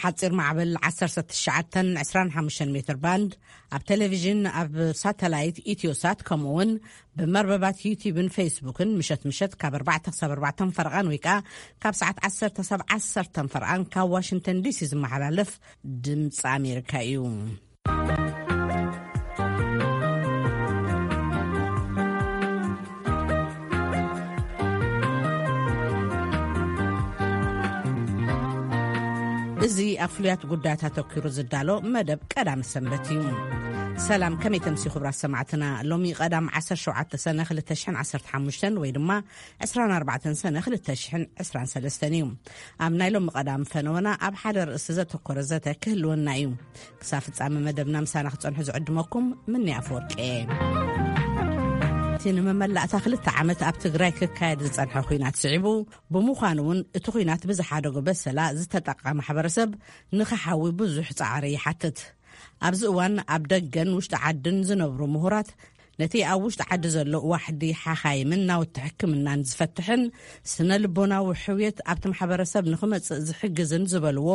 ሓጺር ማዕበል ዓሰርተ ትሽዓተ ዕስራን ሓሙሽተን ሜትር ባንድ፣ ኣብ ቴሌቪዥን፣ ኣብ ሳተላይት ኢትዮሳት፣ ከምኡ እውን ብመርበባት ዩቲዩብን ፌስቡክን ምሸት ምሸት ካብ ኣርባዕተ ክሳብ ኣርባዕተ ፈርቓን ወይ ከኣ ካብ ሰዓት ዓሰርተ ክሳብ ዓሰርተ ፈርቓን ካብ ዋሽንግተን ዲሲ ዝመሓላለፍ ድምፂ ኣሜሪካ እዩ። እዚ ኣብ ፍሉያት ጉዳያት ኣተኲሩ ዝዳሎ መደብ ቀዳም ሰንበት እዩ። ሰላም፣ ከመይ ተምሲ ክቡራት ሰማዕትና? ሎሚ ቀዳም ዓሰርተ ሸውዓተ ሰነ ክልተ ሽሕን ዓሰርተ ሓሙሽተን ወይ ድማ ዕስራን ኣርባዕተን ሰነ ክልተ ሽሕን ዕስራን ሰለስተን እዩ። ኣብ ናይ ሎሚ ቀዳም ፈነወና ኣብ ሓደ ርእሲ ዘተኮረ ዘተ ክህልወና እዩ። ክሳብ ፍጻመ መደብና ምሳና ክጸንሑ ዝዕድመኩም ምኒ ኣፈወርቂ እየ። እቲ ንመመላእታ ክልተ ዓመት ኣብ ትግራይ ክካየድ ዝጸንሐ ኲናት ስዒቡ፣ ብምዃኑ እውን እቲ ኲናት ብዝሓደጎ በሰላ ዝተጠቕዐ ማሕበረሰብ ንኽሓዊ ብዙሕ ጻዕሪ ይሓትት። ኣብዚ እዋን ኣብ ደገን ውሽጢ ዓድን ዝነብሩ ምሁራት ነቲ ኣብ ውሽጢ ዓዲ ዘሎ ዋሕዲ ሓኻይምን ናውቲ ሕክምናን ዝፈትሕን ስነ ልቦናዊ ሕውየት ኣብቲ ማሕበረሰብ ንኽመጽእ ዝሕግዝን ዝበልዎ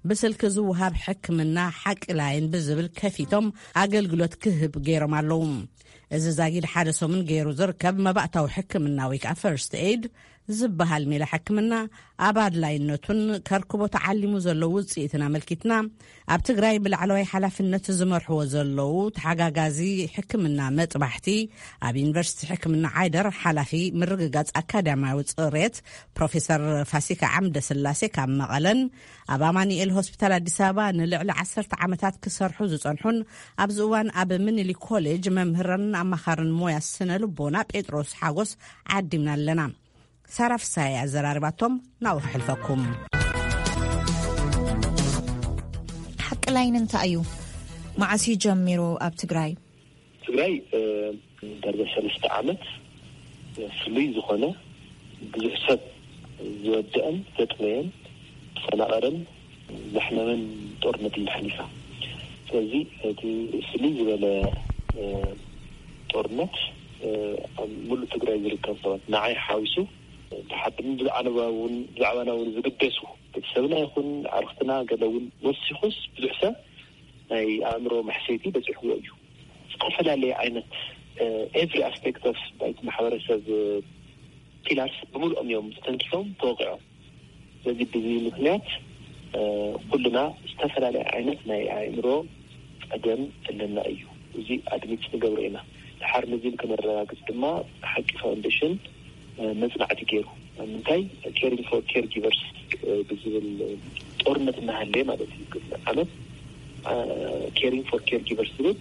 ብስልኪ ዝወሃብ ሕክምና ሓቂ ላይን ብዝብል ከፊቶም ኣገልግሎት ክህብ ገይሮም ኣለዉ። እዚ ዛጊድ ሓደ ሰሙን ገይሩ ዝርከብ መባእታዊ ሕክምና ወይ ከዓ ፈርስት ኤድ ዝበሃል ሜላ ሕክምና ኣብ ኣድላይነቱን ከርክቦ ተዓሊሙ ዘሎ ውፅኢትን ኣመልኪትና ኣብ ትግራይ ብላዕለዋይ ሓላፍነት ዝመርሕዎ ዘለዉ ተሓጋጋዚ ሕክምና መጥባሕቲ ኣብ ዩኒቨርሲቲ ሕክምና ዓይደር ሓላፊ ምርግጋፅ ኣካዳሚያዊ ፅሬት ፕሮፌሰር ፋሲካ ዓምደ ስላሴ ካብ መቐለን ኣብ ኣማኑኤል ሆስፒታል ኣዲስ ኣበባ ንልዕሊ ዓሰርተ ዓመታት ክሰርሑ ዝፀንሑን ኣብዚ እዋን ኣብ ምኒልክ ኮሌጅ መምህርን ኣማኻርን ሞያ ስነ ልቦና ጴጥሮስ ሓጎስ ዓዲምና ኣለና። ሳራ ፍሳሐ ኣዘራርባቶም ናብኡ ክሕልፈኩም። ሓቂ ላይን እንታይ እዩ? መዓስ እዩ ጀሚሩ ኣብ ትግራይ? ትግራይ፣ እ፣ ዳርጋ ሰለስተ ዓመት፣ እ፣ ፍሉይ ዝኾነ ብዙሕ ሰብ ዝወደአን ዘጥመየን፣ ዝፈናቐለን ዘሕመመን ጦርነት እዩ ሓሊፋ። ስለዚ እቲ ፍልይ ዝበለ፣ እ፣ ጦርነት፣ እ፣ ኣብ ሙሉእ ትግራይ ዝርከብ ሰባት ንዓይ ሓዊሱ፣ ተሓድምን ብዛዕባና እውን፣ ብዛዕባና እውን ዝግደሱ ቤተሰብና ይኹን ዓርክትና ገለ እውን ወሲኹስ ብዙሕ ሰብ ናይ ኣእምሮ መሕሰይቲ በፂሕዎ እዩ። ዝተፈላለየ ዓይነት፣ እ፣ every aspect of ናይቲ ማሕበረሰብ፣ እ፣ ፒላርስ ብምልኦም እዮም ተተንኪፎም ተወቂዖም። ስለዚ ብዚ ምክንያት፣ እ፣ ኩልና ዝተፈላለየ ዓይነት ናይ ኣእምሮ ጸገም ኣለና እዩ። እዚ ኣድሚት ንገብሮ ኢና። ድሓር ነዚ ንክነረጋግጽ ድማ ሓቂ ፋውንዴሽን፣ እ፣ መጽናዕቲ ገይሩ። ኣብ ምንታይ? Caring for Caregivers፣ እ፣ ብዝብል ጦርነት እናሃለየ ማለት እዩ። ቅድሚ ዓመት፣ እ፣ Caring for Caregivers ዝብል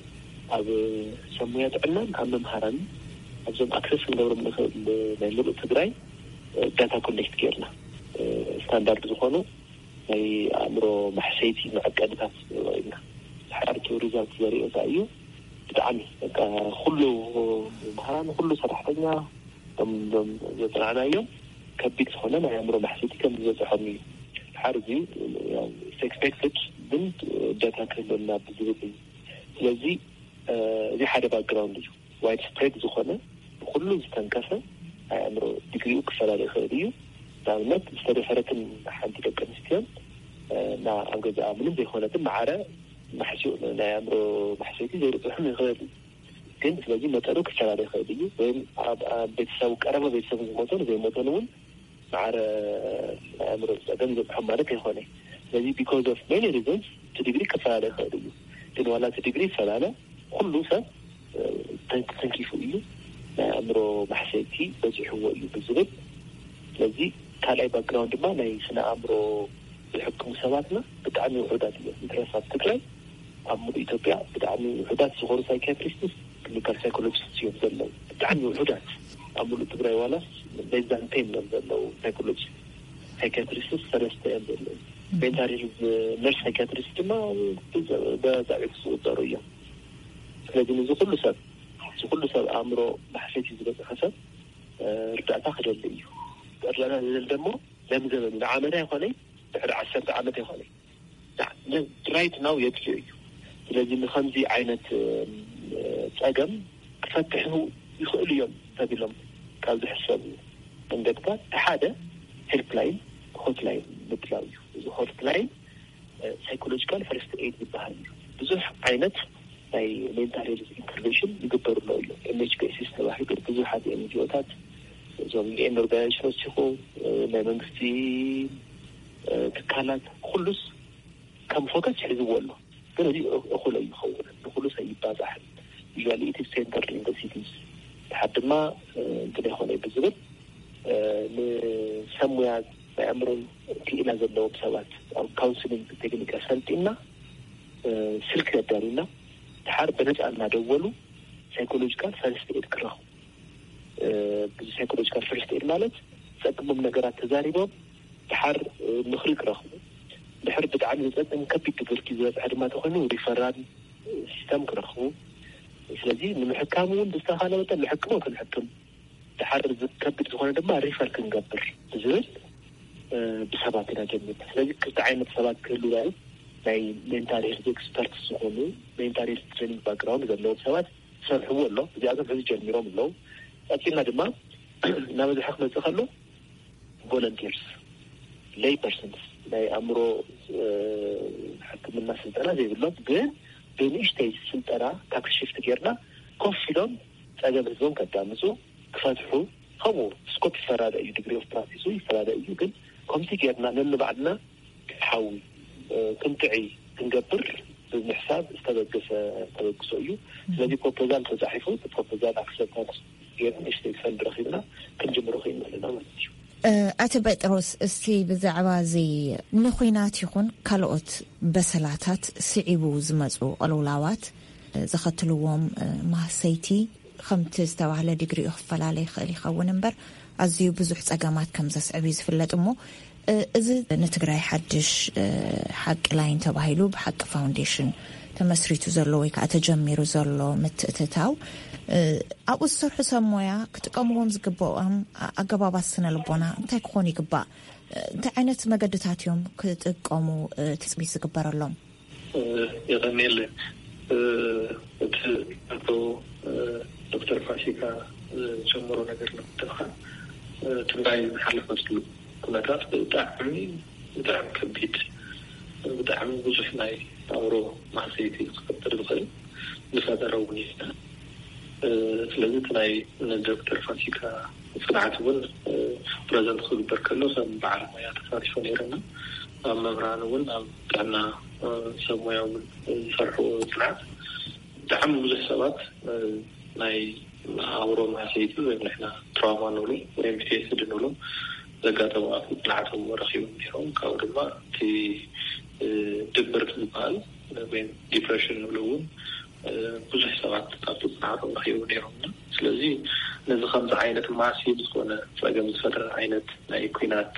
ኣብ ሰብ ሞያ ጥዕናን ኣብ መምሃራንን ኣብዞም ኣክሰስ ክንገብሮም ንኽእል ናይ ምሉእ ትግራይ ዳታ ኮሌክት ጌርና፣ እ፣ ስታንዳርድ ዝኾኑ ናይ ኣእምሮ ማሕሰይቲ መዐቀኒታት ኢና። ድሓር እቲ ሪዛልት ዘርእዮ እንታይ እዩ? ብጣዕሚ በቃ ኩሉ መምህራን፣ ኩሉ ሰራሕተኛ፣ እቶም፣ እቶም ዘፅናዕናዮም ከቢድ ዝኾነ ናይ ኣእምሮ ማሕሰይቲ ከም ዝበፅሖም እዩ። ድሓር እዚ ያው ኤክስፔክትድ ግን ዳታ ክህልወና ብዝብል እዩ። ስለዚ፣ እ፣ እዚ ሓደ ባክግራውንድ እዩ። ዋይድ ስፕሬድ ዝኾነ ብኩሉ ዝተንከፈ ናይ ኣእምሮ ዲግሪኡ ክፈላለ ይኽእል እዩ። ንኣብነት ዝተደፈረትን ሓንቲ ደቂ ኣንስትዮን፣ እ፣ እና ኣብ ገዛኣ ምንም ዘይኮነትን ማዕረ ማሕሲኡ ናይ ኣእምሮ ማሕሰይቲ ዘይበፅሖም ይኽእል እዩ። ግን ስለዚ መጠኑ ክፈላለ ይኽእል እዩ። ወይም ኣብ፣ ኣብ ቤተሰቡ፣ ቀረባ ቤተሰቡ ዝሞተን ዘይሞተን እውን ማዕረ ናይ ኣእምሮ ጸገም ይበጽሖም ማለት ኣይኮነ። ስለዚ because of many reasons እቲ ዲግሪ ክፈላለ ይኽእል እዩ። ግን ዋላ እቲ ዲግሪ ይፈላለ፣ ኩሉ ሰብ፣ እ፣ ተን-፣ ተንኪፉ እዩ፣ ናይ ኣእምሮ ማሕሰይቲ በጺሕዎ እዩ ብዝብል። ስለዚ ካልኣይ ባክግራውንድ ድማ ናይ ስነ ኣእምሮ ዝሕክሙ ሰባትና ብጣዕሚ ውሑዳት እዮም። እንተረስ ኣብ ትግራይ ኣብ ሙሉእ ኢትዮጵያ ብጣዕሚ ውሑዳት ዝኾኑ ሳይኪያትሪስትስ፣ ክሊኒካል ሳይኮሎጂስት እዮም ዘለዉ። ብጣዕሚ ውሑዳት ኣብ ሙሉእ ትግራይ ዋላስ less than ten እዮም ዘለዉ ሳይኮሎጂስት፣ ሳይኪያትሪስትስ ሰለስተ እዮም ዘለዉ። ሜንታል ሄልዝ ነርስ ሳይኪያትሪስት ድማ በዛ ዕጽ ዝቁጸሩ እዮም። ስለዚ ንዚ ኩሉ ሰብ፣ እዚ ኩሉ ሰብ ኣእምሮ ማሕሰይቲ ዝበጽሐ ሰብ፣ እ፣ እርዳእታ ክደሊ እዩ። እርዳእታ ዝደሊ ደሞ ለምዘበሉ ንዓመት ኣይኮነይ፣ ድሕሪ ዓሰርተ ዓመት ኣይኮነይ። ራይት ናው የድልዮ እዩ። ስለዚ ንኸምዚ ዓይነት፣ እ፣ ጸገም ክፈትሑ ይኽእሉ እዮም ተቢሎም ካብ ዝሕሰቡ መንገድታት እቲ ሓደ ሄልፕላይን፣ ሆትላይን ምድላው እዩ። እዚ ሆትላይን፣ ሳይኮሎጂካል ፈርስት ኤድ ዝበሃል እዩ። ብዙሕ ዓይነት ናይ ሜንታል ሄልዝ ኢንተርቨንሽን ይግበሩ ኣለዉ እዮም። ኤምኤችፒኤስስ ተባሂሉ ብዙሓት ኤንጂኦታት፣ እዞም ዩኤን ኦርጋናይዜሽኖች ይኹን ናይ መንግስቲ ትካላት፣ ኩሉስ ከም ፎከስ ሒዝዎ ኣሎ። ግን እዚ እኹል ኣይኸውን፣ ንኩሉስ ኣይባዛሕን። ዩዋሊ ኢት ሴንተር ኢን ሲቲስ፣ ድሓር ድማ እንትን ይኾነ ብዝብል ንሰሙያ ናይ ኣእምሮን ክኢላ ዘለዎም ሰባት ኣብ ካውንስሊንግ ቴክኒክ ኣሰልጢና፣ ስልክ ኣዳሊና፣ ድሓር ብነፃ እናደወሉ ሳይኮሎጂካል ፈርስት ኤድ ክረኽቡ። ብዚ ሳይኮሎጂካል ፈርስት ኤድ ማለት ዝፀግሞም ነገራት ተዛሪቦም ድሓር ምኽሪ ክረኽቡ፣ ድሕር ብጣዕሚ ዘፀግም ከቢድ ድብርቲ ዝበፅሐ ድማ ተኾይኑ ሪፈራል ሲስተም ክረኽቡ። ስለዚ ንምሕካም እውን ብዝተኻለ መጠን ንሕክሞ ክንሕክም፣ ድሓር ዝከብድ ዝኾነ ድማ ሪፈር ክንገብር ብዝብል ብሰባት ኢና ጀሚርና። ስለዚ ክልተ ዓይነት ሰባት ክህሉ ናይ ናይ ሜንታል ሄልት ኤክስፐርት ዝኾኑ፣ ሜንታል ሄልት ትሬኒንግ ባክግራውንድ ዘለዎም ሰባት ዝሰርሕዎ ኣሎ። እዚኣቶም ሕዚ ጀሚሮም ኣለዉ። ቀፂልና ድማ እናበዝሐ ክመፅእ ከሎ ቮለንቲርስ፣ ሌይ ፐርሰንስ፣ ናይ ኣእምሮ ሕክምና ስልጠና ዘይብሎም ግን ብንእሽተይ ስልጠና ታክስ ሽፍት ጌርና ኮፍ ኢሎም ፀገም ህዝቦም ከዳምፁ፣ ክፈትሑ፣ ከምኡ ስኮፕ ይፈላለ እዩ፣ ዲግሪ ኦፍ ፕራክቲሱ ይፈላለ እዩ። ግን ከምዚ ጌርና ነንባዕልና ሓዊ ክንጥዒ ክንገብር ብምሕሳብ ዝተበገሰ ተበግሶ እዩ። ስለዚ ፕሮፖዛል ተፃሒፉ፣ ፕሮፖዛል ኣክሰፕታንስ ጌርና ንእሽተይ ፈንድ ረኺብና ክንጅምሮ ክኢልና ኣለና ማለት እዩ። ኣቲ ጴጥሮስ፣ እስቲ ብዛዕባ እዚ ንኹናት ይኹን ካልኦት በሰላታት ስዒቡ ዝመፁ ቅልውላዋት ዘኸትልዎም ማህሰይቲ ከምቲ ዝተባህለ ዲግሪኡ ክፈላለ ይኽእል ይኸውን እምበር፣ ኣዝዩ ብዙሕ ጸገማት ከም ዘስዕብ እዩ ዝፍለጥ። እሞ እዚ ንትግራይ ሓድሽ ሓቂ ላይን ተባሂሉ ብሓቂ ፋውንዴሽን ተመስሪቱ ዘሎ ወይ ከዓ ተጀሚሩ ዘሎ ምትእትታው፣ ኣብኡ ዝሰርሑ ሰብ ሞያ ክጥቀምዎም ዝግብኦም ኣገባባት ስነ ልቦና እንታይ ክኾኑ ይግባእ? እንታይ ዓይነት መገድታት እዮም ክጥቀሙ ትፅቢት ዝግበረሎም? የቐንየለ። እቲ ኣቶ ዶክተር ፋሲካ ዝጀመሮ ነገር ንምትንኻን፣ ትግራይ ዝሓለፈትሉ ኩነታት ብጣዕሚ ብጣዕሚ ከቢድ፣ ብጣዕሚ ብዙሕ ናይ ኣእምሮ ማህሰይቲ ክፈጥር ዝኽእል ዝፈጠረ እውን እዩ። ስለዚ እቲ ናይ ዶክተር ፋሲካ ፅንዓት እውን ፕረዘንት ክግበር ከሎ ከም በዓል ሞያ ተሳቲፎ ነይረና። ኣብ መምህራን እውን ኣብ ጥዕና ሰብ ሞያ እውን ዝሰርሕዎ ፅንዓት ብጣዕሚ ብዙሕ ሰባት ናይ ኣእምሮ ማህሰይቲ ወይም ንሕና ትራውማ ንብሎ ወይም ፒቲኤስዲ ንብሎ ዘጋጠሙ ኣፍልጦ ንዓቶም ረኺቦም ነይሮም። ካብኡ ድማ እቲ ድብርት ዝበሃል ወይም ዲፕሬሽን ንብሎ እውን ብዙሕ ሰባት ኣብቲ ፅንዓቶም ረኺቦም ነይሮም። ስለዚ ነዚ ከምዚ ዓይነት ማሲቭ ዝኾነ ፀገም ዝፈጥር ዓይነት ናይ ኲናት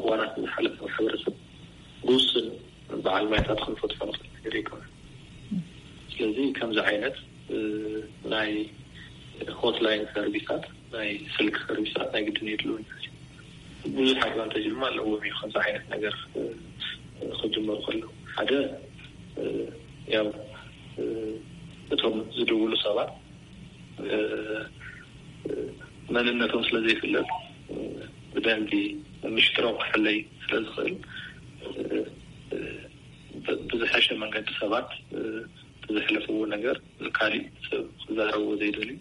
እዋናት ንዝሓለፈ ማሕበረሰብ ብውሱን በዓል ሞያታት ክንፈትሖ ንኽእል ነገር ኣይኮነን። ስለዚ ከምዚ ዓይነት ናይ ሆትላይን ሰርቪሳት፣ ናይ ስልክ ሰርቪሳት ናይ ግድን የድልውን። ብዙሕ ኣድቫንቴጅ ድማ ኣለዎም እዩ ከምዚ ዓይነት ነገር ክጅመሩ ከለዉ። ሓደ ያው እቶም ዝድውሉ ሰባት መንነቶም ስለ ዘይፍለጥ ብደንቢ ምሽጥሮም ክሕለይ ስለ ዝኽእል ብዝሐሸ መንገዲ ሰባት ብዘሕለፍዎ ነገር ንካሊእ ሰብ ክዛረብዎ ዘይደልዩ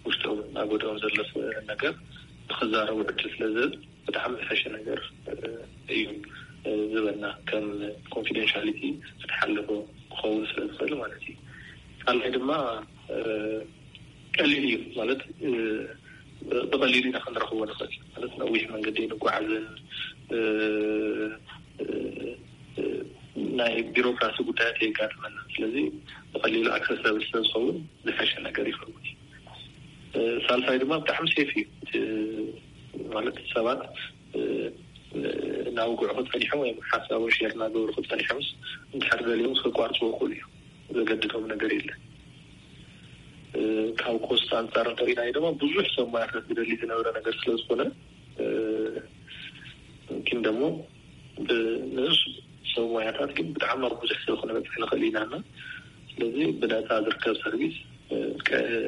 ውሽጦም ኣጎድኦም ዘሎ ነገር ንክዛረቡ ዕድል ስለ ዝህብ ብጣዕሚ ዝሐሸ ነገር እዩ ዝበልና ከም ኮንፊደንሻሊቲ ዝተሓለፎ ክኸውን ስለ ዝኽእል ማለት እዩ። ካልኣይ ድማ ቀሊል እዩ ማለት ብቐሊሉ ኢና ክንረኽቦ ንኽእል ማለት ነዊሕ መንገዲ ንጓዓዝን ናይ ቢሮክራሲ ጉዳያት የጋጥመና። ስለዚ ብቐሊሉ ኣክሰሰብል ስለ ዝኸውን ዝሐሸ ነገር ይኸውን እዩ። ሳልሳይ ድማ ብጣዕሚ ሴፍ እዩ ማለት ሰባት እናውግዑ ክፀኒሖም ወይም ሓሳቦም ሼር እናገበሩ ክፀኒሖምስ እንድሕር ደልዮም ክቋርፅዎ ይኽእሉ እዮም። ዘገድዶም ነገር የለን። ካብ ኮስት ኣንፃር እንተሪእናዮ ድማ ብዙሕ ሰብ ሞያታት ዝደሊ ዝነበረ ነገር ስለዝኾነ ግን ደግሞ ንሱ ሰብ ሞያታት ግን ብጣዕሚ ኣብ ብዙሕ ሰብ ክነበፅሕ ንኽእል ኢና እና ስለዚ ብነፃ ዝርከብ ሰርቪስ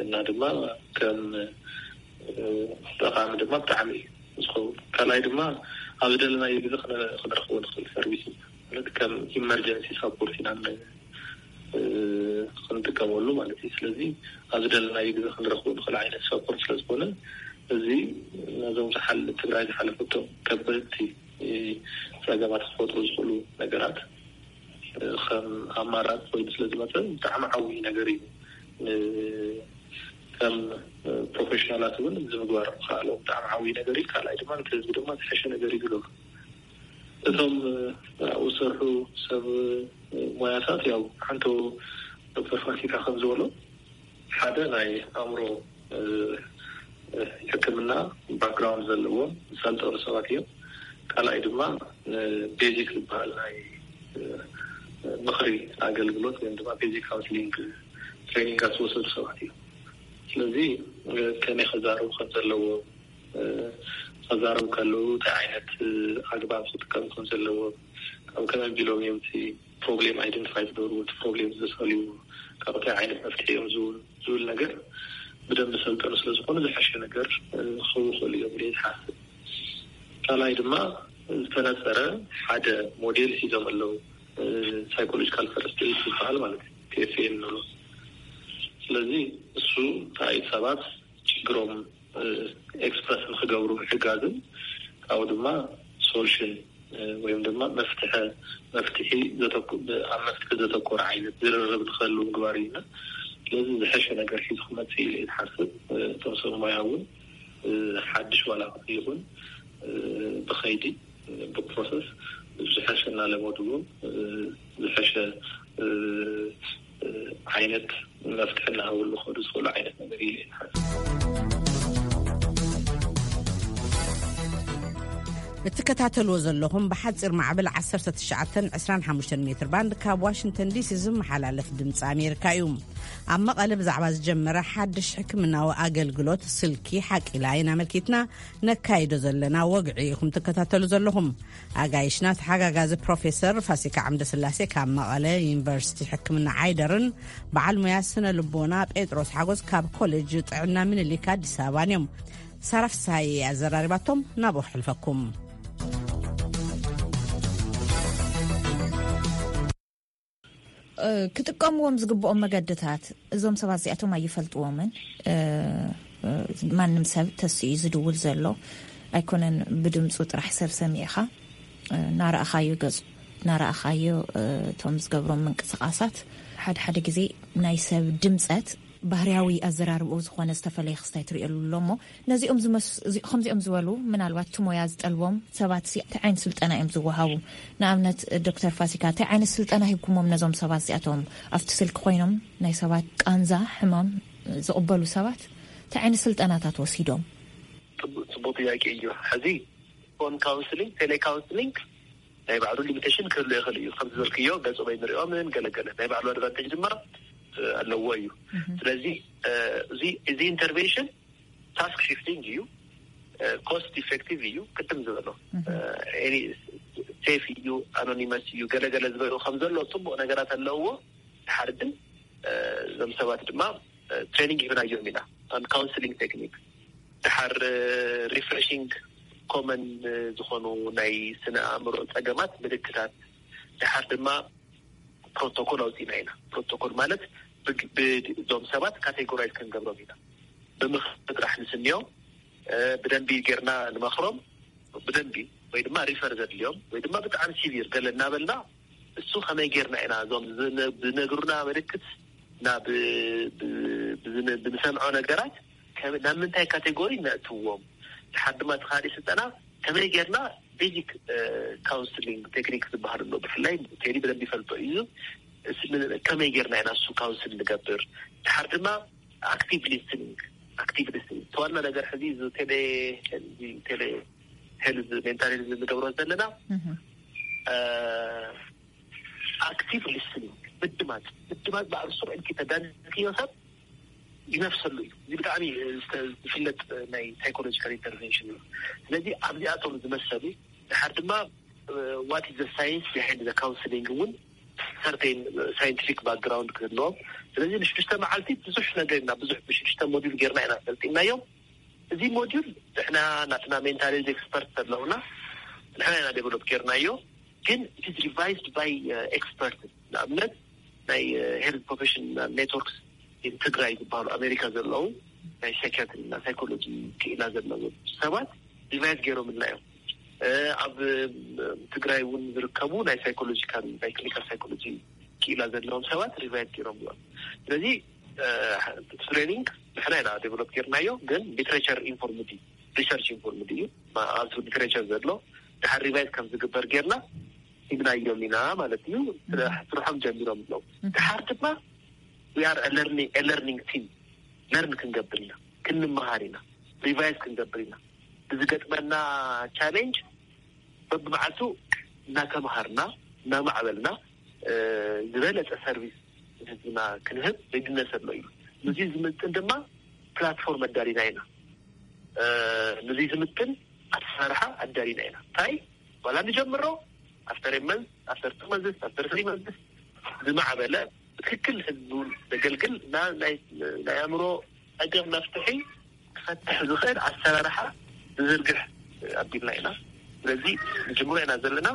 እና ድማ ከም ጠቃሚ ድማ ብጣዕሚ እዩ ዝኸውን። ካልኣይ ድማ ኣብ ዝደለናዮ ግዜ ክንረክቦ ንኽእል ሰርቪስ እዩ። ማለት ከም ኢመርጀንሲ ሳፖርት ኢና ን-፣ እ፣ ክንጥቀመሉ ማለት እዩ። ስለዚ ኣብ ዝደለናዮ ግዜ ክንረኽቦ ንኽእል ዓይነት ሳፖርት ስለ ዝኾነ፣ እዚ ነዞም ዝሓል-፣ ትግራይ ዝሓለፈቶም ከበድቲ፣ እ፣ ጸገማት ክፈጥሩ ዝኽእሉ ነገራት፣ እ፣ ከም ኣማራፂ ኮይኑ ስለ ዝመፀ ብጣዕሚ ዓብዪ ነገር እዩ። ን-፣ ከም፣ እ፣ ፕሮፌሽናላት እውን እዚ ምግባር ምኽኣሎም ብጣዕሚ ዓብዪ ነገር እዩ። ካልኣይ ድማ ነቲ ህዝቢ ድማ ዝሐሸ ነገር እዩ ዝገብሩ። እቶም፣ እ፣ ኣብኡ ዝሰርሑ ሰብ፣ እ፣ ሞያታት፣ ያው ሓንቶ ዶክተር ፋሲካ ከም ዝበሎ ሓደ ናይ ኣእምሮ፣ እ፣ እ፣ ሕክምና ባክግራውንድ ዘለዎም ዝሰልጠኑ ሰባት እዮም። ካልኣይ ድማ፣ እ፣ ቤዚክ ዝበሃል ናይ፣ እ፣ ምኽሪ ኣገልግሎት ወይም ድማ ቤዚክ ካውንስሊንግ ትሬኒንጋት ዝወሰዱ ሰባት እዮም። ስለዚ፣ እ፣ ከመይ ከዛረቡ ከም ዘለዎም፣ እ፣ ከዛረቡ ከለዉ እንታይ ዓይነት፣ እ፣ ኣግባብ ክጥቀሙ ከም ዘለዎም፣ ካብ ከመይ ኣቢሎም እዮም እቲ ፕሮብሌም ኣይደንቲፋይ ዝገብርዎ፣ እቲ ፕሮብሌም ዘሰልይዎ፣ ካብ እንታይ ዓይነት መፍትሒ እዮም ዝው-፣ ዝብል ነገር ብደንብ ሰልጠኑ ስለ ዝኾኑ ዝሐሸ ነገር፣ እ፣ ክህቡ ይኽእሉ እዮም ኢለ ዝሓስብ። ካልኣይ ድማ ዝተነጸረ ሓደ ሞዴል ሒዞም ኣለዉ። እ፣ ሳይኮሎጂካል ፈርስት ኤድ ዝበሃል ማለት እዩ፣ ቲ ኤፍ ኤ እንብሎ። ስለዚ እሱ እንታይ ሰባት ችግሮም፣ እ፣ ኤክስፕረስ ንክገብሩ ምሕጋዝን ካብኡ ድማ ሶሉሽን፣ እ፣ ወይም ድማ መፍትሐ፣ መፍትሒ ዘተኩ-፣ ኣብ መፍትሒ ዘተኮረ ዓይነት ዝርርብ ንክህሉ ምግባር እዩ። ስለዚ ዝሐሸ ነገር ሒዙ ክመጽእ ኢለ እየ ዝሓስብ። እ፣ እቶም ሰብ ሞያ እውን፣ እ፣ ሓድሽ ዋላ ይኹን፣ እ፣ ብኸይዲ፣ እ፣ ብፕሮሰስ ዝሐሸ እናለመድዎ፣ እ፣ ዝሐሸ፣ እ፣ እ፣ ዓይነት መፍትሒ እናሃብሉ ክኸዱ ዝኽእሉ ዓይነት ነገር እዩ ዝሓስብ። እትከታተልዎ ዘለኹም ብሓፂር ማዕበል ዓሰርተ ትሽዓተን ዕስራን ሓሙሽተን ሜትር ባንድ ካብ ዋሽንግተን ዲሲ ዝመሓላለፍ ድምፂ ኣሜሪካ እዩ። ኣብ መቐለ ብዛዕባ ዝጀመረ ሓድሽ ሕክምናዊ ኣገልግሎት ስልኪ ሓቂላ ኢና ኣመልኪትና ነካይዶ ዘለና ወግዒ ኢኹም ትከታተሉ ዘለኹም። ኣጋይሽና ተሓጋጋዚ ፕሮፌሰር ፋሲካ ዓምደስላሴ ካብ መቐለ ዩኒቨርሲቲ ሕክምና ዓይደርን በዓል ሙያ ስነ ልቦና ጴጥሮስ ሓጎስ ካብ ኮሌጅ ጥዕና ምኒልክ ኣዲስ ኣበባን እዮም። ሳራ ፍስሃየ ኣዘራሪባቶም ናብኡ ክሕልፈኩም። ክጥቀምዎም ዝግብኦም መገድታት እዞም ሰባት እዚኣቶም ኣይፈልጥዎምን። ማንም ሰብ ተስኡ ዝድውል ዘሎ ኣይኮነን። ብድምፁ ጥራሕ ሰብ ሰሚዕኻ ናረኣኻዮ ገፁ ናረኣኻዮ እቶም ዝገብሮም ምንቅስቃሳት ሓደ ሓደ ግዜ ናይ ሰብ ድምፀት ባህርያዊ ኣዘራርብኡ ዝኾነ ዝተፈለየ ክስታይ ትርእየሉ ኣሎ እሞ ነዚኦም ዝመስ- እዚ- ከምዚኦም ዝበሉ ምናልባት እቲ ሞያ ዝጠልቦም ሰባት ሲ እንታይ ዓይነት ስልጠና እዮም ዝወሃቡ? ንኣብነት ዶክተር ፋሲካ እንታይ ዓይነት ስልጠና ሂብኩሞም ነዞም ሰባት እዚኣቶም ኣብቲ ስልኪ ኮይኖም ናይ ሰባት ቃንዛ ሕማም ዝቕበሉ ሰባት እንታይ ዓይነት ስልጠናታት ወሲዶም? ጽቡቅ ጥያቄ እዩ። ሕዚ ፎን ካውንስሊንግ፣ ቴሌ ካውንስሊንግ ናይ ባዕሉ ሊሚቴሽን ክህሉ ይኽእል እዩ። ከም ዝበልክዮ ገጾም ኣይንሪኦምን ገለገለ ናይ ባዕሉ ኣድቫንቴጅ ድማ ኣለዎ እዩ። ስለዚ እዚ እዚ ኢንተርቬንሽን ታስክ ሽፍቲንግ እዩ፣ ኮስት ኢፌክቲቭ እዩ። ቅድም ዝበሎ ሴፍ እዩ፣ ኣኖኒመስ እዩ፣ ገለገለ ዝበሉ ከም ዘሎ ፅቡቅ ነገራት ኣለውዎ። ድሓር ግን እዞም ሰባት ድማ ትሬኒንግ ሂብናዮም ኢና፣ ካውንስሊንግ ቴክኒክ። ድሓር ሪፍሬሽንግ ኮመን ዝኾኑ ናይ ስነ ኣእምሮ ፀገማት ምልክታት፣ ድሓር ድማ ፕሮቶኮል ኣውፂና ኢና። ፕሮቶኮል ማለት እዞም ሰባት ካቴጎራይዝ ክንገብሮም ኢና። ብምኽሪ ጥራሕ ንስንዮም፣ ብደንቢ ጌርና ንመኽሮም፣ ብደንቢ ወይ ድማ ሪፈር ዘድልዮም ወይ ድማ ብጣዕሚ ሲቪር ገለ እናበልና እሱ ከመይ ጌርና ኢና እዞም ዝነግሩና ምልክት ናብ ብንሰምዖ ነገራት ናብ ምንታይ ካቴጎሪ ነእትዎም። ድሓር ድማ ተኻዲ ስልጠና ከመይ ጌርና ቤዚክ ካውንስሊንግ ቴክኒክ ዝበሃል ኣሎ። ብፍላይ ቴዲ ብደንብ ይፈልጦ እዩ። ከመይ ጌርና ኢና እሱ ካውንስል ንገብር። ድሓር ድማ ኣክቲቭ ሊስኒንግ፣ ኣክቲቭ ሊስኒንግ ተዋና ነገር ሕዚ ቴሌ ቴሌ ሄልዝ ሜንታል ሄልዝ ንገብሮ ዘለና ኣክቲቭ ሊስኒንግ፣ ምድማፅ። ምድማፅ ባዕሉ ስሩዕ ኢልኪ ተዳንክዮ ሰብ ይነፍሰሉ እዩ። እዚ ብጣዕሚ ዝፍለጥ ናይ ሳይኮሎጂካል ኢንተርቨንሽን እዩ። ስለዚ ኣብዚኣቶም ዝመሰሉ ድሓር ድማ ዋት ዘ ሳይንስ ቢሃይንድ ዘ ካውንስሊንግ እውን ሰርቴን ሳይንቲፊክ ባክግራውንድ ክህልዎም። ስለዚ ንሽዱሽተ መዓልቲ ብዙሕ ነገር ኢና ብዙሕ ብሽዱሽተ ሞዲል ጌርና ኢና ሰልጢናዮም። እዚ ሞዲል ንሕና ናትና ሜንታል ሄልዝ ኤክስፐርት ኣለውና፣ ንሕና ኢና ዴቨሎፕ ጌርናዮ። ግን it is revised by expert። ንኣብነት ናይ health professional networks in ትግራይ ዝበሃሉ ኣሜሪካ ዘለዉ ናይ ሳይኪያትሪ እና ሳይኮሎጂ ክኢላ ዘለዎም ሰባት ሪቫይዝ ገይሮምልና እዮም። ኣብ ትግራይ እውን ዝርከቡ ናይ ሳይኮሎጂካል ናይ ክሊኒካል ሳይኮሎጂ ክኢላ ዘለዎም ሰባት ሪቫይዝ ገይሮም እዮም። ስለዚ ትሬኒንግ ንሕና ኢና ዴቨሎፕ ጌርናዮ፣ ግን ሊትሬቸር ኢንፎርምድ እዩ፣ ሪሰርች ኢንፎርምድ እዩ። ኣብቲ ሊትሬቸር ዘሎ ድሓር ሪቫይዝ ከም ዝግበር ጌርና ሂብናዮም ኢና ማለት እዩ። ስርሖም ጀሚሮም ኣለዉ። ድሓር ድማ we are learning team፣ ለርን ክንገብር ኢና፣ ክንመሃር ኢና፣ ሪቫይዝ ክንገብር ኢና። ብዝገጥመና ቻሌንጅ በብመዓልቱ እናተምሃርና እናማዕበልና ዝበለፀ ሰርቪስ ህዝብና ክንህብ ሬድነስ ኣሎ እዩ። ንዚ ዝምጥን ድማ ፕላትፎርም ኣዳሊና ኢና። ንዚ ዝምጥን ኣሰራርሓ ኣዳሊና ኢና። እንታይ ዋላ ንጀምሮ ኣፍተር መንስ ኣፍተር ቱ መንስ ኣፍተር ትሪ መንስ ዝማዕበለ ብትክክል ህዝቡ ዘገልግል ናይ ኣእምሮ ፀገም መፍትሒ ክፈትሕ ዝኽእል ኣሰራርሓ ዝዝርግሕ ኣቢልና ኢና። ስለዚ ንጅምሮ ኢና ዘለና፣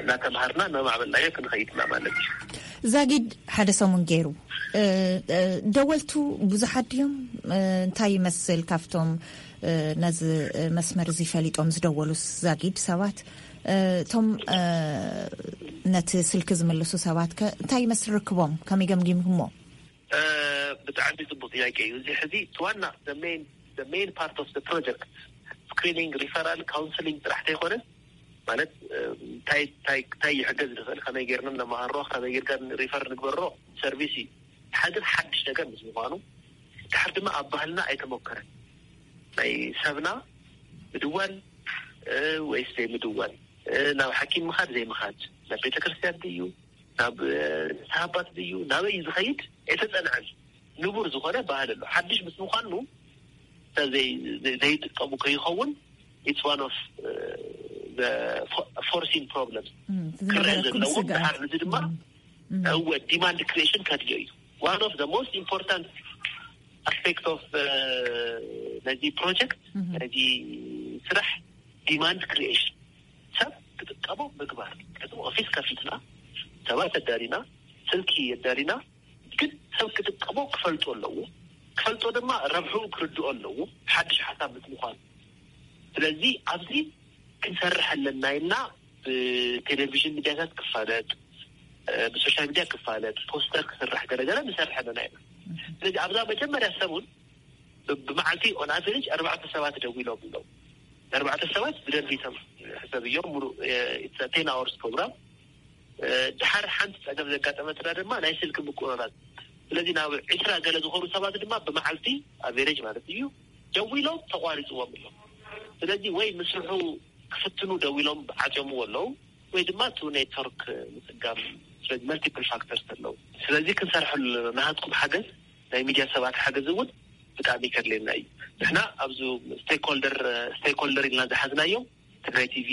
እናተምሃርና እናማዕበልናዮ ክንኸይድ ኢና ማለት እዩ። ዛጊድ ሓደ ሰሙን ገይሩ ደወልቱ ብዙሓት ድዮም? እንታይ ይመስል ካብቶም ነዚ መስመር እዚ ፈሊጦም ዝደወሉ ዛጊድ ሰባት? እቶም ነቲ ስልኪ ዝምልሱ ሰባት ከ እንታይ ይመስል ርክቦም? ከመይ ገምጊምኩሞ? ብጣዕሚ ፅቡቅ ጥያቄ እዩ። እዚ ሕዚ ዋና ሜን ፓርት ኦፍ ፕሮጀክት ስክሪኒንግ፣ ሪፈራል፣ ካውንስሊንግ ጥራሕ ተይኮነ ማለት እንታይ ይሕገዝ ንኽእል፣ ከመይ ጌርና ነመሃሮ፣ ከመይ ጌርካ ሪፈር ንግበሮ ሰርቪስ እዩ። ሓደ ሓድሽ ነገር ምስ ምኳኑ ድሓር ድማ ኣብ ባህልና ኣይተሞከረን። ናይ ሰብና ምድዋል ወይስ ዘይምድዋል፣ ናብ ሓኪም ምኻድ ዘይምኻድ፣ ናብ ቤተክርስትያን ድዩ ናብ ንስሓ ኣባት ድዩ ናበይ እዩ ዝኸይድ ኣይተፀንዐን። ንቡር ዝኾነ ባህል ኣሎ። ሓድሽ ምስ ምኳኑ ዘይጥቀሙ ከይኸውን it's one of foreseen problems ክረአ ዘለዎ። ድሓር ንዚ ድማ እወ ዲማንድ ክሪኤሽን ከድልዮ እዩ። One of the most important aspect of ነዚ ፕሮጀክት ነዚ ስራሕ ዲማንድ ክሪኤሽን ሰብ ክጥቀሞ ምግባር። ኦፊስ ከፊትና ሰባት ኣዳሊና ስልኪ ኣዳሊና ግን ሰብ ክጥቀሞ ክፈልጦ ኣለዎ። ክፈልጦ ድማ ረብሑ ክርድኦ ኣለዎ። ሓድሽ ሓሳብ ምስ ምኳኑ ስለዚ ኣብዚ ክንሰርሕ ኣለና ኢልና ብቴሌቪዥን ሚዲያታት ክፋለጥ፣ ብሶሻል ሚዲያ ክፋለጥ፣ ፖስተር ክስራሕ ገለገለ ንሰርሕ ኣለና ኢና። ስለዚ ኣብዛ መጀመርያ ሰሙን ብመዓልቲ ኦን ኣቨሬጅ ኣርባዕተ ሰባት ደዊሎም ኣለዉ። ኣርባዕተ ሰባት ብደንቢ ቶም ሕሰብ እዮም። ሙሉ ቴን ኣወርስ ፕሮግራም ድሓር ሓንቲ ፀገም ዘጋጠመትና ድማ ናይ ስልኪ ምቁርራፅ። ስለዚ ናብ ዕስራ ገለ ዝኾኑ ሰባት ድማ ብመዓልቲ ኣቨሬጅ ማለት እዩ ደዊሎም ተቋሪፅዎም ኣሎ። ስለዚ ወይ ምስርሑ ክፍትኑ ደዊሎም ዓፅዮምዎ ኣለዉ ወይ ድማ እቲ ኔትወርክ ምፅጋም። ስለዚ መልቲፕል ፋክተርስ ኣለዉ። ስለዚ ክንሰርሐሉ ናሃትኩም ሓገዝ ናይ ሚድያ ሰባት ሓገዝ እውን ብጣዕሚ ከድልየና እዩ። ንሕና ኣብዚ ስቴክሆልደር ስቴክሆልደር ኢልና ዝሓዝናዮም ትግራይ ቲቪ፣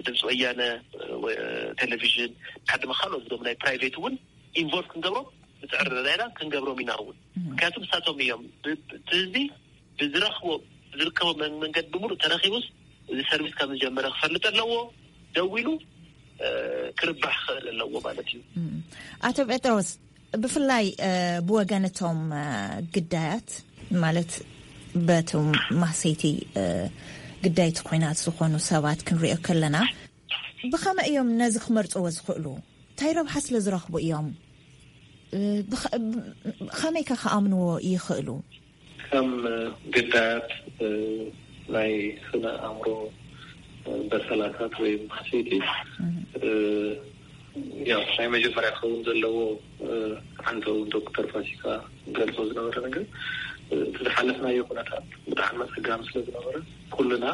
ድምፂ ወያነ ቴሌቪዥን፣ ሓደ ድማ ካልኦት ዞም ናይ ፕራይቬት እውን ኢንቮልቭ ክንገብሮም ንፅዕር ዘለና ኢና። ክንገብሮም ኢና እውን ምክንያቱ ንሳቶም እዮም ህዝቢ ብዝረኽቦ ብዝርከቦ መንገዲ ብምሉእ ተረኪቡስ እዚ ሰርቪስ ከም ዝጀመረ ክፈልጥ ኣለዎ። ደዊሉ ክርባሕ ክኽእል ኣለዎ ማለት እዩ። ኣቶ ጴጥሮስ፣ ብፍላይ ብወገን እቶም ግዳያት ማለት በቶም ማህሰይቲ ግዳይቲ ኮይናት ዝኾኑ ሰባት ክንሪኦ ከለና ብኸመይ እዮም ነዚ ክመርፅዎ ዝኽእሉ? እንታይ ረብሓ ስለ ዝረኽቡ እዮም? ከመይ ከ ክኣምንዎ ይኽእሉ? ከም ግዳያት ናይ ስነ ኣእምሮ በሰላታት ወይ ማህሰይቲ ያው ናይ መጀመርያ ክኸውን ዘለዎ ሓንቲ እውን ዶክተር ፋሲካ ገልጾ ዝነበረ ነገር እቲ ዝሓለፍናዮ ኩነታት ብጣዕሚ ኣጸጋሚ ስለ ዝነበረ ኩልና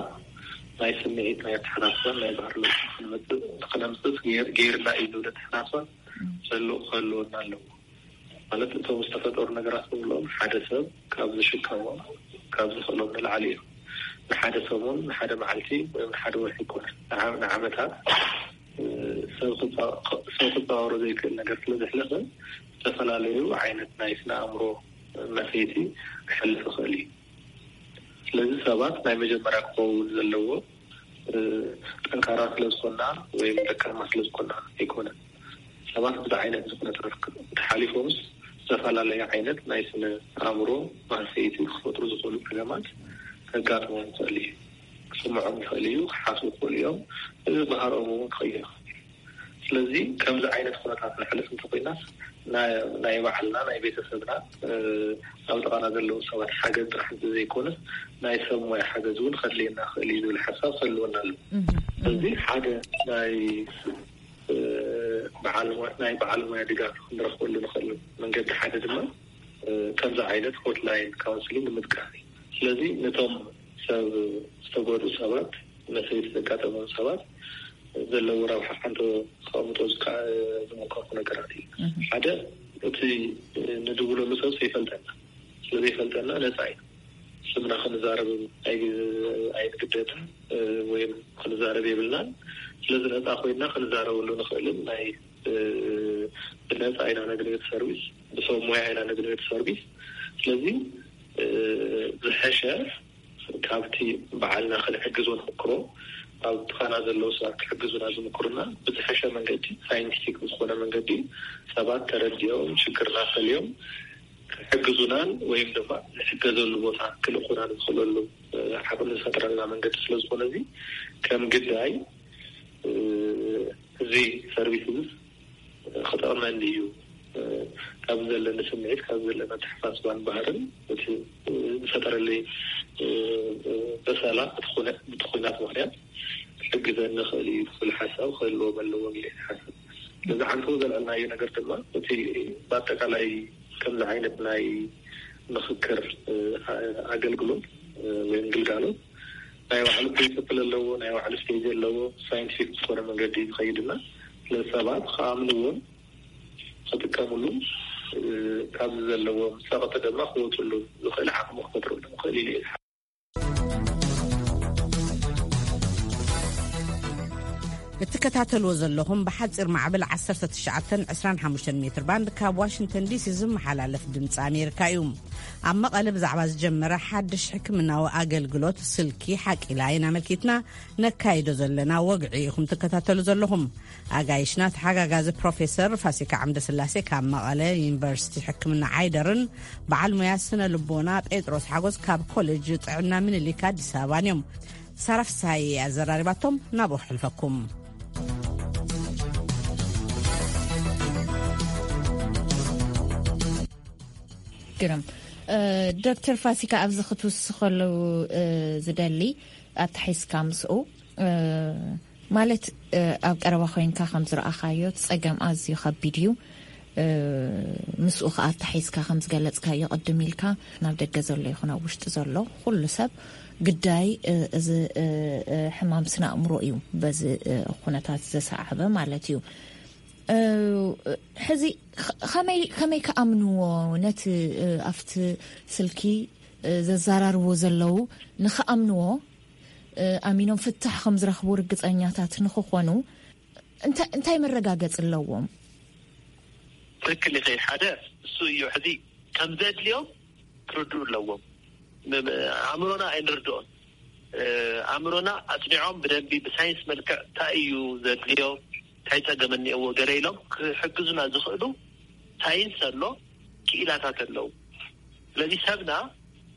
ናይ ስምዒት ናይ ኣተሓሳስባን ናይ ባህሪ ለውጢ ክንመጽእ ክነምጽእ ገይርና እዩ ዝብል ኣተሓሳስባ ዘሎ ክህልወና ኣለዎ። ማለት እቶም ዝተፈጠሩ ነገራት ንብሎም ሓደ ሰብ ካብ ዝሽከሞም ካብ ዝኽእሎም ንላዕሊ እዮም። ንሓደ ሰሙን ንሓደ መዓልቲ ወይ ንሓደ ወርሒ ይኮነ ንዓመታት ሰብ ክፃወሮ ዘይክእል ነገር ስለ ዘሕለፈ ዝተፈላለዩ ዓይነት ናይ ስነ ኣእምሮ መሰይቲ ክሕልፍ ይኽእል እዩ። ስለዚ ሰባት ናይ መጀመርያ ክኸውን ዘለዎ ጠንካራ ስለዝኮና ወይም ደካማ ስለዝኮና ኣይኮነን። ሰባት ብዚ ዓይነት ዝኩነታት ተሓሊፎምስ ዝተፈላለየ ዓይነት ናይ ስነ ኣእምሮ ማህሰይቲ ክፈጥሩ ዝኽእሉ ጸገማት ከጋጥሞም ይኽእል እዩ። ክስምዖም ይኽእል እዩ፣ ክሓስቡ ይኽእሉ እዮም። እዚ ባህርኦም እውን ክቕይር ይኽእል እዩ። ስለዚ ከምዚ ዓይነት ኩነታት ንሕልፍ እንተኮይናስ ናይ ባዕልና ናይ ቤተሰብና ኣብ ጥቓና ዘለዉ ሰባት ሓገዝ ጥራሕ ዘይኮነስ ናይ ሰብ ሞያ ሓገዝ እውን ከድልየና ክእል እዩ ዝብል ሓሳብ ከልወና ኣሎ። እዚ ሓደ ናይ በዓል ናይ በዓል ሞያ ድጋፍ ክንረክበሉ ንክእል መንገዲ ሓደ ድማ ከምዚ ዓይነት ሆትላይን ካውንስሊንግ ምጥቃም እዩ። ስለዚ ነቶም ሰብ ዝተጎድኡ ሰባት መሰይቲ ዘጋጠሞም ሰባት ዘለዎ ረብሓ ሓንቶ ከቐምጦ ዝመከርኩ ነገራት እዩ። ሓደ እቲ ንድውለሉ ሰብ ዘይፈልጠና ስለዘይፈልጠና ነፃ እዩ። ስምና ክንዛረብ ኣይንግደድን ወይም ክንዛረብ የብልናን። ስለዚ ነፃ ኮይና ክንዛረበሉ ንኽእልን ናይ ብነፃ ኢና ነግንዮት ሰርቪስ፣ ብሰብ ሞያ ኢና ነግንዮት ሰርቪስ። ስለዚ ዝሐሸ ካብቲ በዓልና ክንሕግዞ ንምክሮ፣ ኣብ ጥኻና ዘለዉ ሰባት ክሕግዙና ዝምክሩና ብዝሐሸ መንገዲ፣ ሳይንቲፊክ ብዝኾነ መንገዲ ሰባት ተረዲኦም ሽግርና ፈሊዮም ክሕግዙናን ወይም ድማ ንሕገዘሉ ቦታ ክልእኹና ዝኽእለሉ ዓቕሚ ዝፈጥረልና መንገዲ ስለዝኾነ እዚ ከም ግዳይ እዚ ሰርቪስ እዚ ክጠቕመኒ እዩ ካብ ዘለኒ ስምዒት ካብ ዘለና ተሓሳስባን ባህርን እቲ ዝፈጠረለይ በሰላ እቲ ኩነ- እቲ ኩናት ምክንያት ክሕግዘኒ ክእል እዩ ዝብል ሓሳብ ክህልዎም ኣለዎም ኢለ ይሓስብ። ነዚ ዓንተቦ ዘልዐልናዮ ነገር ድማ እቲ ብኣጠቃላይ ከምዚ ዓይነት ናይ ምክክር ኣገልግሎት ወይም ግልጋሎት ናይ ባዕሉ ፕሪንስፕል ኣለዎ፣ ናይ ባዕሉ ስቴጅ ኣለዎ። ሳይንቲፊክ ዝኾነ መንገዲ ዝኸይድና ስለዚ ሰባት ክኣምንዎን ክጥቀምሉ ካብዚ ዘለዎም ፀቕጢ ድማ ክወፅሉ ዝኽእል ዓቕሚ ክፈጥረሉ ንኽእል ኢሉ እዩ። እትከታተልዎ ዘለኹም ብሓፂር ማዕበል ዓሰርተ ትሽዓተን ዕስራን ሓሙሽተን ሜትር ባንድ ካብ ዋሽንግተን ዲሲ ዝመሓላለፍ ድምፂ ኣሜሪካ እዩ። ኣብ መቐለ ብዛዕባ ዝጀመረ ሓድሽ ሕክምናዊ ኣገልግሎት ስልኪ ሓቂላ ኢና ኣመልኪትና ነካይዶ ዘለና ወግዒ ኢኹም ትከታተሉ ዘለኹም። ኣጋይሽና ተሓጋጋዚ ፕሮፌሰር ፋሲካ ዓምደስላሴ ካብ መቐለ ዩኒቨርሲቲ ሕክምና ዓይደርን በዓል ሙያ ስነ ልቦና ጴጥሮስ ሓጎስ ካብ ኮሌጅ ጥዕና ምኒልክ ኣዲስ ኣበባን እዮም። ሳራ ፍስሃየ ኣዘራሪባቶም ናብኡ ክሕልፈኩም። ግርም ዶክተር ፋሲካ ኣብዚ ክትውስኸሉ ዝደሊ ኣተሒዝካ ምስኡ ማለት ኣብ ቀረባ ኮይንካ ከም ዝረኣኻዮ እቲ ጸገም ኣዝዩ ከቢድ እዩ። ምስኡ ከኣ ኣተሓሒዝካ ከም ዝገለጽካዮ ቅድም ኢልካ ናብ ደገ ዘሎ ይኹን ኣብ ውሽጢ ዘሎ ኩሉ ሰብ ግዳይ እዚ ሕማም ስነ ኣእምሮ እዩ በዚ ኩነታት ዘሰዓበ ማለት እዩ። ሕዚ ከመይ ከመይ ክኣምንዎ ነቲ ኣብቲ ስልኪ ዘዘራርብዎ ዘለዉ ንኽኣምንዎ ኣሚኖም ፍታሕ ከም ዝረኽቡ ርግጸኛታት ንኽኾኑ እንታይ መረጋገጺ ኣለዎም? ትክክል ኢኺ። ሓደ እሱ እዩ። ሕዚ ከም ዘድልዮም ክርድኡ ኣለዎም። ኣእምሮና ኣይንርድኦን። ኣእምሮና ኣጽኒዖም ብደንቢ ብሳይንስ መልክዕ እንታይ እዩ ዘድልዮ፣ እንታይ ጸገም እኒኦዎ ገለ ኢሎም ክሕግዙና ዝኽእሉ ሳይንስ ኣሎ፣ ክኢላታት ኣለዉ። ስለዚ ሰብና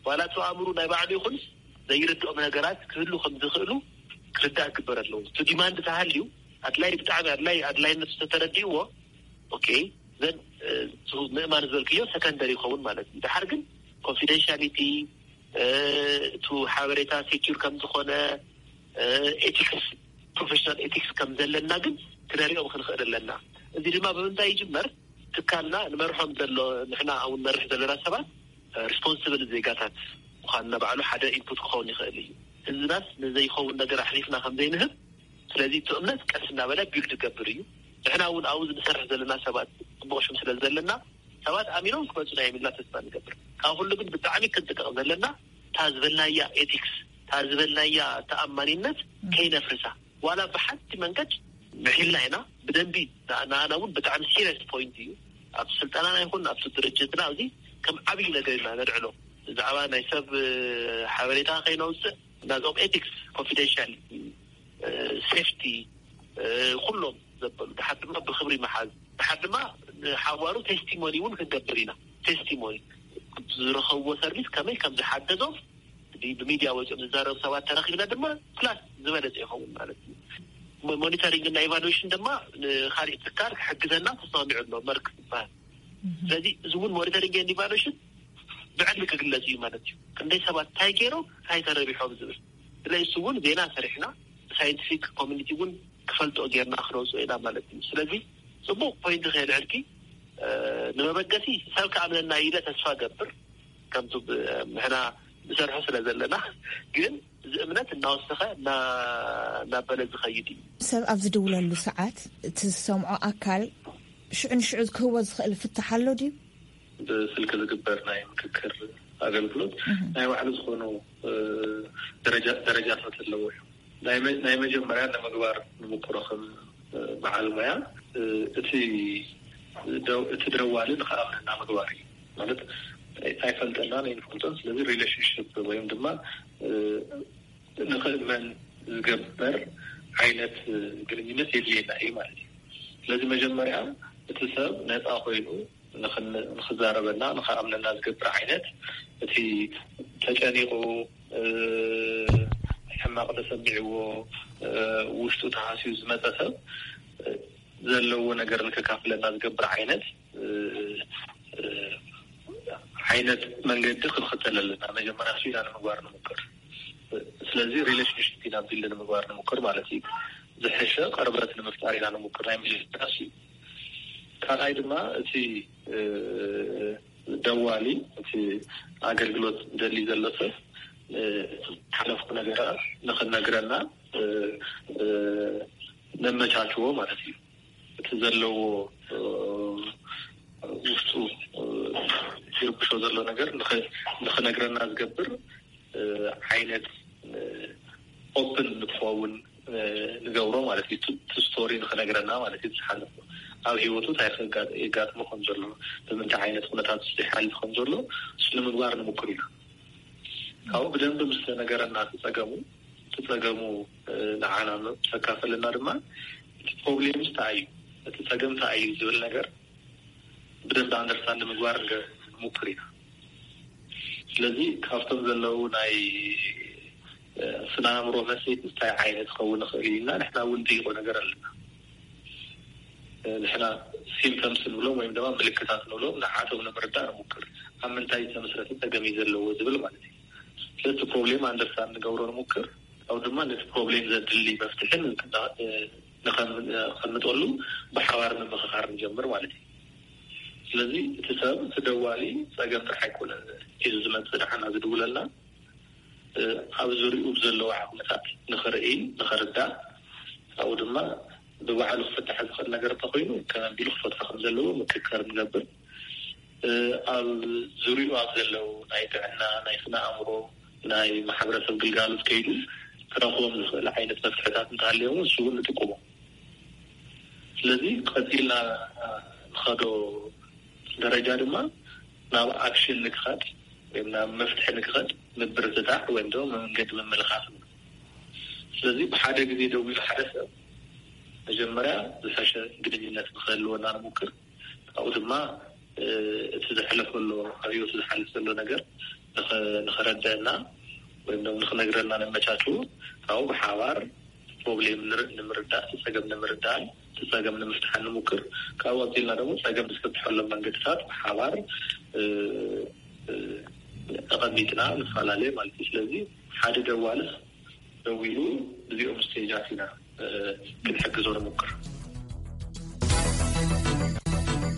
ዋላ እቲ ኣእምሩ ናይ ባዕሉ ይኹንስ ዘይርድኦም ነገራት ክህሉ ከም ዝኽእሉ ክርዳእ ክግበር ኣለዎ። እቲ ዲማንድ ተሃልዩ ኣድላይ ብጣዕሚ ኣድላይ ኣድላይነቱ ተተረዲእዎ ኦኬ ዘን ምእማን ዝበልክዮ ሰከንደሪ ይኸውን ማለት እዩ። ድሓር ግን ኮንፊደንሻሊቲ እቱ ሓበሬታ ሴኪር ከም ዝኾነ ኤቲክስ ፕሮፌሽናል ኤቲክስ ከም ዘለና ግን ክነሪኦም ክንኽእል ኣለና። እዚ ድማ ብምንታይ ይጅመር? ትካልና ንመርሖም ዘሎ ንሕና እውን መርሕ ዘለና ሰባት ሪስፖንስብል ዜጋታት ምዃንና ባዕሉ ሓደ ኢንፑት ክኸውን ይኽእል እዩ። ህዝብናስ ንዘይኸውን ነገር ኣሕሊፍና ከም ዘይንህብ ስለዚ እቲ እምነት ቀስ እናበለ ቢልድ ይገብር እዩ። ንሕና እውን ኣብኡ ንሰርሕ ዘለና ሰባት ፅቡቕ ሽም ስለ ዘለና ሰባት ኣሚኖም ክመፁና እዮም ኢልና ተስፋ ንገብር። ካብ ኩሉ ግን ብጣዕሚ ክንጥንቀቕ ዘለና እታ ዝበልናያ ኤቲክስ እታ ዝበልናያ ተኣማኒነት ከይነፍርሳ ዋላ ብሓንቲ መንገድ ምሒልና ኢና ብደንቢ ንኣና እውን ብጣዕሚ ሲሪየስ ፖይንት እዩ። ኣብቲ ስልጠናና ይኹን ኣብቲ ድርጅትና እዚ ከም ዓብዪ ነገር ኢና ነልዕሎ። ብዛዕባ ናይ ሰብ ሓበሬታ ከይነውፅእ ናዞም ኤቲክስ ኮንፊደንሻል ሴፍቲ፣ ኩሎም ዘበሉ፣ ድሓር ድማ ብክብሪ መሓዝ፣ ድሓር ድማ ንሓዋሩ ቴስቲሞኒ እውን ክንገብር ኢና። ቴስቲሞኒ ዝረኸብዎ ሰርቪስ ከመይ ከም ዝሓገዞም፣ ብሚድያ ወፂኦም ዝዛረቡ ሰባት ተረኪብና ድማ ፕላስ ዝበለፀ ይኸውን ማለት እዩ። ሞኒተሪንግ እና ኢቫሉዌሽን ድማ ንካሊእ ትካል ክሕግዘና ተስማሚዑ ኣሎ፣ መርክ ዝበሃል። ስለዚ እዚ እውን ሞኒተሪንግ ኤንድ ኢቫሉዌሽን ብዕሊ ክግለጽ እዩ ማለት እዩ። ክንደይ ሰባት እንታይ ገይሮም እንታይ ተረቢሖም ዝብል። ስለዚ እሱ እውን ዜና ሰሪሕና ሳይንቲፊክ ኮሚኒቲ እውን ክፈልጦ ጌርና ክነውፅኦ ኢና ማለት እዩ። ስለዚ ፅቡቕ ፖይንት ከየልዕልኪ፣ ንመበገሲ ሰብ ክኣምነና ኢለ ተስፋ ገብር። ከምቱ ንሕና ንሰርሖ ስለ ዘለና፣ ግን እዚ እምነት እናወሰኸ እናበለ ዝኸይድ እዩ። ሰብ ኣብ ዝድውለሉ ሰዓት እቲ ዝሰምዖ ኣካል ሽዑ ንሽዑ ክህቦ ዝኽእል ፍታሕ ኣሎ ድዩ? ብስልኪ ዝግበር ናይ ምክክር ኣገልግሎት ናይ ባዕሉ ዝኾኑ ደረጃታት ኣለዎ እዩ። ናይ መጀመርያ ንምግባር ንምክሮ ከም በዓል ሞያ እቲ እቲ ደዋሊ ንክኣምነና ምግባር እዩ። ማለት ኣይፈልጠናን ኣይንፈልጦን፣ ስለዚ ሪሌሽንሽፕ ወይም ድማ ንክእመን ዝገብር ዓይነት ግንኙነት የድልየና እዩ ማለት እዩ። ስለዚ መጀመርያ እቲ ሰብ ነፃ ኮይኑ ንክዛረበና ንክኣምነና ዝገብር ዓይነት፣ እቲ ተጨኒቑ ሕማቕ ተሰሚዕዎ ውሽጡ ተሃስዩ ዝመፀ ሰብ ዘለዎ ነገር ንከካፍለና ዝገብር ዓይነት ዓይነት መንገዲ ክንኽተል ኣለና። መጀመርያ እሱ ኢና ንምግባር ንምክር። ስለዚ ሪሌሽንሽፕ ኢና ቢልድ ንምግባር ንምክር ማለት እዩ። ዝሕሸ ቀርበት ንምፍጣር ኢና ንምክር። ናይ መጀመርያ እሱ እዩ። ካልኣይ ድማ እቲ ደዋሊ፣ እቲ ኣገልግሎት ደሊ ዘሎ ሰብ ሓለፉ ነገራት ንክነግረና ነመቻችዎ ማለት እዩ። እቲ ዘለዎ ውስጡ ዝርብሾ ዘሎ ነገር ንክነግረና ዝገብር ዓይነት ኦፕን ንክኸውን ንገብሮ ማለት እዩ። ስቶሪ ንክነግረና ማለት እዩ። ዝሓለፎ ኣብ ህይወቱ እንታይ የጋጥሞ ከም ዘሎ፣ ብምንታይ ዓይነት ኩነታት ይሓልፍ ከም ዘሎ እሱ ንምግባር ንምክር ኢና። ካብኡ ብደንብ ምስ ተነገረና እቲ ጸገሙ፣ እቲ ጸገሙ ንዓና ምስ ኣካፈለና ድማ እቲ ፕሮብሌም እንታይ እዩ፣ እቲ ጸገም እንታይ እዩ ዝብል ነገር ብደንብ ኣንደርስታንድ ንምግባር ንሞክር ኢና። ስለዚ ካብቶም ዘለዉ ናይ ስነ ኣእምሮ መሰይቲ እንታይ ዓይነት ክኸውን ይኽእል ኢልና ንሕና እውን ንጥይቆ ነገር ኣለና። ንሕና ሲምፕተምስ ንብሎም ወይም ድማ ምልክታት ንብሎም ንዓቶም ንምርዳእ ንሙክር። ኣብ ምንታይ ዝተመስረተ ጸገም እዩ ዘለዎ ዝብል ማለት እዩ። ስለዚ ፕሮብሌም ኣንደርስታንድ ንገብሮ ንሙክር። ካብኡ ድማ ነቲ ፕሮብሌም ዘድሊ መፍትሒ ንከምጠሉ ብሓባር ምምኽኻር ንጀምር ማለት እዩ። ስለዚ እቲ ሰብ እቲ ደዋሊ ጸገም ጥራሕ ኣይኮነን ሒዙ ዝመጽእ፣ ንዓና ዝድውለልና ኣብ ዙሪኡ ብዘለዉ ዓቕምታት ንኽርኢ ንኽርዳእ፣ ካብኡ ድማ ብባዕሉ ክፍታሕ ዝኽእል ነገር እንተኾይኑ ከመይ ኣቢሉ ክፈትሖ ከም ዘለዎ ምክክር ንገብር። ኣብ ዙሪኡ ኣብ ዘለዉ ናይ ጥዕና፣ ናይ ስነ ኣእምሮ፣ ናይ ማሕበረሰብ ግልጋሎት ከይዱ ክረኽቦም ዝኽእል ዓይነት መፍትሕታት እንተሃልዮም እሱ እውን ንጥቅሞ። ስለዚ ቀፂልና ንኸዶ ደረጃ ድማ ናብ ኣክሽን ንክኸድ ወይም ናብ መፍትሒ ንክኸድ ምብርትታዕ ወይም ድማ መንገዲ ምምልኻፍ። ስለዚ ብሓደ ግዜ ደው ኢሉ ሓደ ሰብ መጀመርያ ዝሐሸ ግንኙነት ንክህልወና ንሙክር። ካብኡ ድማ እቲ ዘሕለፈ ኣሎ ኣብ ህይወቱ ዝሓልፍ ዘሎ ነገር ንኸረድአና ወይም ድማ ንክነግረና ነመቻችው። ካብኡ ብሓባር ፕሮብሌም ንምርዳእ፣ ጸገም ንምርዳእን ጸገም ንምፍትሓን ንሙክር። ካብኡ ቀፂልና ደግሞ ጸገም ዝፍትሐሎም መንገድታት ብሓባር ተቐሚጥና ንፈላለየ ማለት እዩ። ስለዚ ሓደ ደዋልስ ደው ኢሉ እዚኦም ስቴጃት ኢና ክንሕግዞ ንሙክር።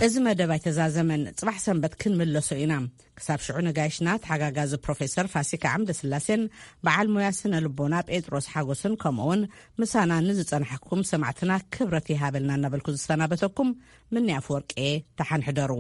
እዚ መደብ ኣይተዛዘመን። ጽባሕ ሰንበት ክንምለሶ ኢና። ክሳብ ሽዑ ነጋይሽና ተሓጋጋዚ ፕሮፌሰር ፋሲካ ዓምደ ስላሴን በዓል ሞያ ስነ ልቦና ጴጥሮስ ሓጎስን ከምኡውን ምሳና ንዝጸናሕኩም ሰማዕትና ክብረት ይሃበልና እናበልኩ ዝሰናበተኩም ምኒ ኣፈወርቄ። ደሓን ሕደሩ።